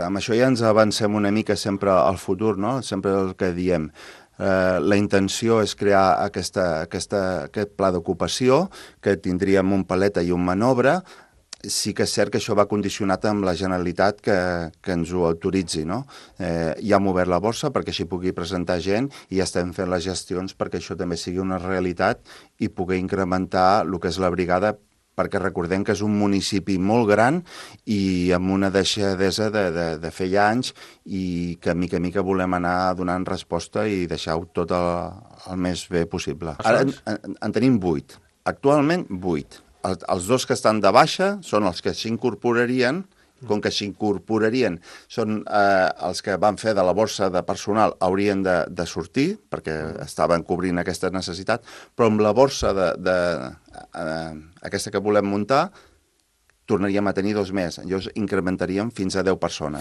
Amb això ja ens avancem una mica sempre al futur, no? Sempre el que diem. La intenció és crear aquest pla d'ocupació, que tindríem un paleta i un manobre. Sí que és cert que això va condicionat amb la Generalitat que ens ho autoritzi, no? Ja hem obert la borsa perquè així pugui presentar gent i ja estem fent les gestions perquè això també sigui una realitat i poder incrementar el que és la brigada, perquè recordem que és un municipi molt gran i amb una deixadesa de fer ja anys i que mica en mica volem anar donant resposta i deixar-ho tot el més bé possible. Ara en tenim 8. Actualment 8. Els 2 que estan de baixa són els que s'incorporarien. Com que s'incorporarien, són els que van fer de la borsa de personal haurien de sortir, perquè estaven cobrint aquesta necessitat, però amb la borsa aquesta que volem muntar tornaríem a tenir 2 més. Llavors incrementaríem fins a 10 persones.